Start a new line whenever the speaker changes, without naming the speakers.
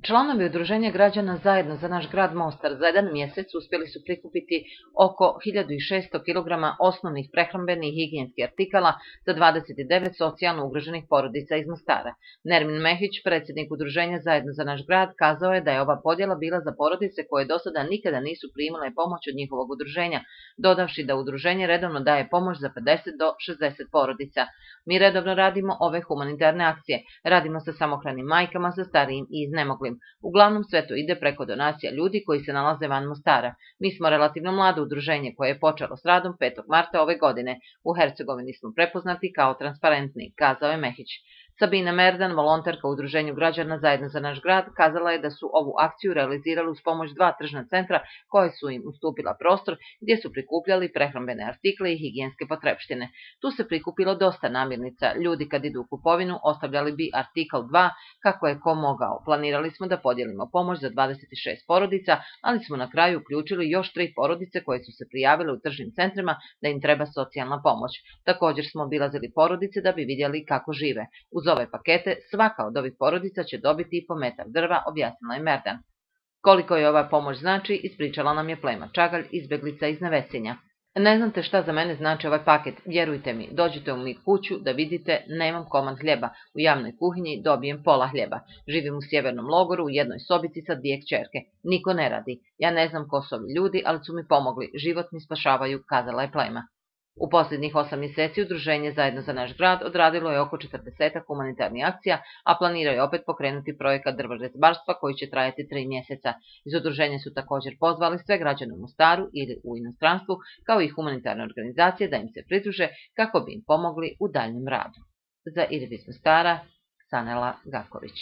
Članovi Udruženja građana Zajedno za naš grad Mostar za jedan mjesec uspjeli su prikupiti oko 1600 kg osnovnih prehrambenih i higijenskih artikala za 29 socijalno ugroženih porodica iz Mostara. Nermin Mehić, predsjednik Udruženja Zajedno za naš grad, kazao je da je ova podjela bila za porodice koje do sada nikada nisu primile pomoć od njihovog udruženja, dodavši da udruženje redovno daje pomoć za 50 do 60 porodica. Mi redovno radimo ove humanitarne akcije, radimo sa samohranim majkama, sa starijim i iznemoglim. Uglavnom sve to ide preko donacija ljudi koji se nalaze van Mostara. Mi smo relativno mlado udruženje koje je počelo s radom 5. marta ove godine. U Hercegovini smo prepoznati kao transparentni, kazao je Mehić. Sabina Merdan, volonterka u Udruženju građana Zajedno za naš grad, kazala je da su ovu akciju realizirali uz pomoć 2 tržna centra koje su im ustupila prostor gdje su prikupljali prehrambene artikle i higijenske potrepštine. Tu se prikupilo dosta namirnica. Ljudi kad idu u kupovinu ostavljali bi artikl 2 kako je ko mogao. Planirali smo da podijelimo pomoć za 26 porodica, ali smo na kraju uključili još 3 porodice koje su se prijavile u tržnim centrima da im treba socijalna pomoć. Također smo obilazili porodice da bi vidjeli kako žive. Uz ove pakete svaka od ovih porodica će dobiti i po metar drva, objasnila je Merdan. Koliko je ova pomoć znači, ispričala nam je Plema Čagalj, izbjeglica iz Nevesinja. Ne znate šta za mene znači ovaj paket, vjerujte mi, dođite u mi kuću da vidite, nemam komad hljeba, u javnoj kuhinji dobijem pola hljeba. Živim u sjevernom logoru u jednoj sobici sa 2 kćerke, niko ne radi. Ja ne znam ko su ovi ljudi, ali su mi pomogli, život mi spašavaju, kazala je Plema. U posljednjih 8 mjeseci Udruženje Zajedno za naš grad odradilo je oko 40 humanitarnih akcija, a planiraju je opet pokrenuti projekat drvorezbarstva koji će trajati 3 mjeseca. Iz udruženja su također pozvali sve građane u Mostaru ili u inostranstvu, kao i humanitarne organizacije da im se pridruže kako bi im pomogli u daljnjem radu. Za Irvis Mostara, Sanela Gaković.